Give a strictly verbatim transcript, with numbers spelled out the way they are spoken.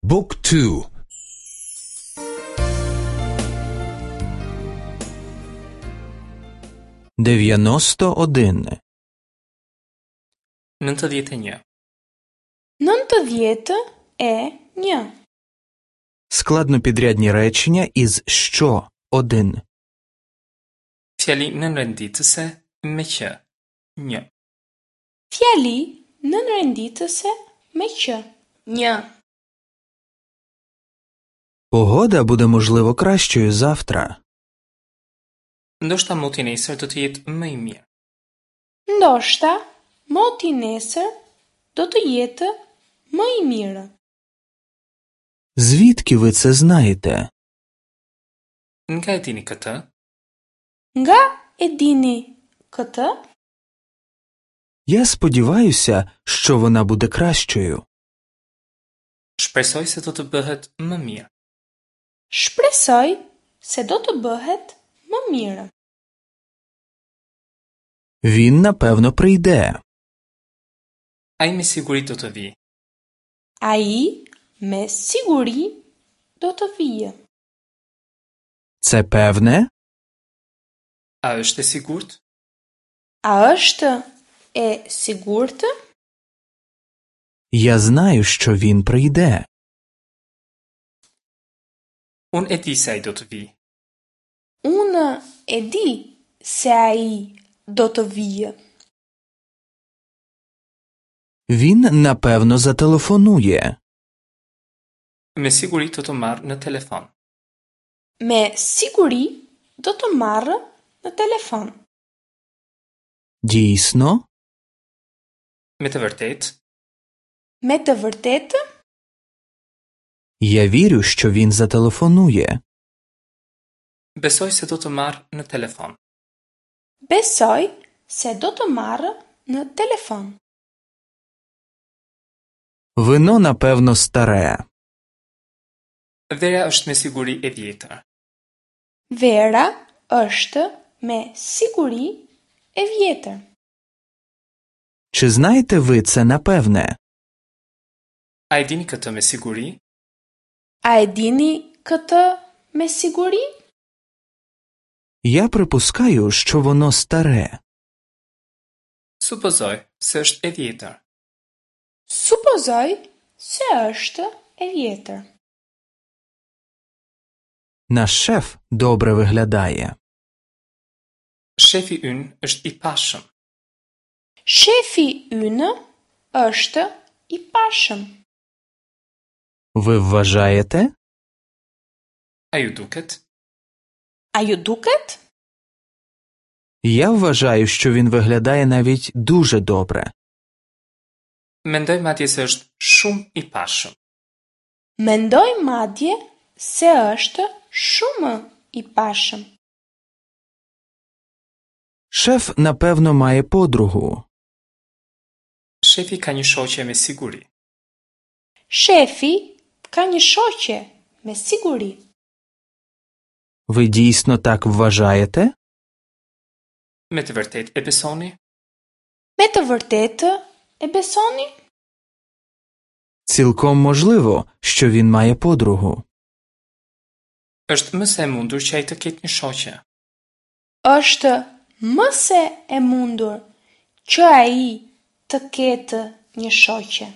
Book two. Дев'яносто один. Nëntëdhjetë e një. Nëntëdhjetë e një. Складнопідрядні речення із «що» один. Fjali nënrenditëse me që. Një. Fjali nënrenditëse me që. Një. Погода буде, можливо, кращою завтра. Ndoshta moti nesër do të jetë më i mirë. Ndoshta moti nesër do të jetë më i mirë. Звідки ви це знаєте? Nga e dini këtë? Nga e dini këtë? Я сподіваюся, що вона буде кращою. Shpresoj se do të bëhet më mirë. Shpresoj se do të bëhet më mirë. Він, напевно, прийде. Ai me siguri do të vijë. Ai me siguri do të vijë. Це певне? A është e sigurt? A është e sigurt? Я знаю, що він прийде. Unë e di se ai do të vijë. Unë e di se ai do të vijë. Він, напевно, зателефонує. Me siguri do të marrë në telefon. Me siguri do të marrë në telefon. Дійсно? Me të vërtetë? Me të vërtetë? Я вірю, що він зателефонує. Besoj se do të marrë në telefon. Besoj se do të marrë në telefon. Вино, напевно, старе. Vera është me siguri e vjetër. Vera është me siguri e vjetër. Чи знаєте ви це напевне? A e dini këtë me siguri? A e dini këtë me siguri? Я припускаю, що воно старе. Supozoj se është e vjetër. Supozoj se është e vjetër. Наш шеф добре виглядає. Shefi ynë është i pashëm. Shefi ynë është i pashëm. Ви вважаєте? A ju duket? A ju duket? Я вважаю, що він виглядає навіть дуже добре. Mendoj madje se është shumë i pashëm. Mendoj madje se është shumë i pashëm. Шеф, напевно, має подругу. Shefi ka një shoqe me siguri. Shefi ka një shoqe me siguri. Ви дійсно так вважаєте? Me të vërtetë e besoni? Me të vërtetë e besoni? Цілком можливо, що він має подругу. Është më se e mundur që ai të ketë një shoqe. Është më se e mundur që ai të ketë një shoqe.